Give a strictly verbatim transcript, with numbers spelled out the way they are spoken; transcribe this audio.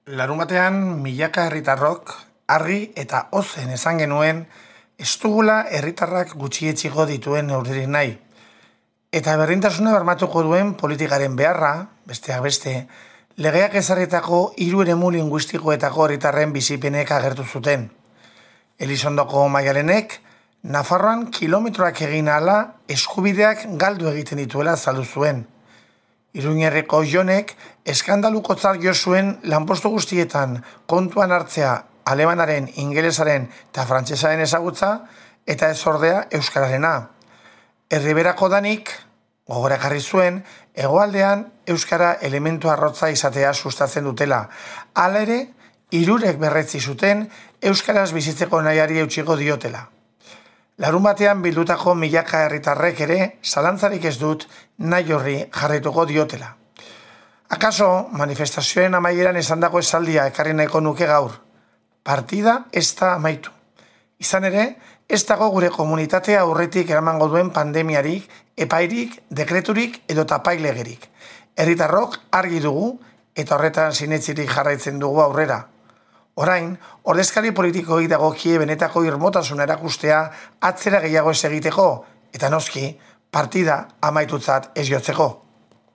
Larunbatean milaka herritarrok argi eta ozen esan genuen ez dugula herritarrak gutxietsiko dituen neurririk nahi. Eta berdintasuna bermatuko duen politikaren beharra, besteak beste, legeak ezarritako hiru eremu linguistikoetako herritarren bizipenek agertu zuten. Elizondoko Maialenek Nafarroan kilometroak egin ahala eskubideak galdu egiten dituela azaldu zuen. Iruñerriko Jonek eskandalukotzat jo zuen lanpostu guztietan kontuan hartzea alemanaren, ingelesaren eta frantsesaren ezagutza eta ez ordea euskararena. Erriberako Danik gogorakarri zuen hegoaldean euskara elementu arrotza izatea sustatzen dutela. Hala ere, hirurek berretsi zuten euskaraz bizitzeko nahiari eutsiko diotela. Larun batean bildutako milaka herritarrek ere zalantzarik ez dut nahi horri jarraituko diotela. Akaso manifestazioen amaieran esandako esaldia ekarri nahiko nuke gaur. Partida ez da amaitu. Izan ere, ez dago gure komunitatea aurretik eramango duen pandemiarik, epairik, dekreturik edo tapailegerik. Herritarrok argi dugu eta horretan sinetzirik jarraitzen dugu aurrera. Orain, ordezkari politikoei dagokie benetako irmotasuna erakustea atzera gehiago ez egiteko, eta noski, partida amaitutzat ez jotzeko.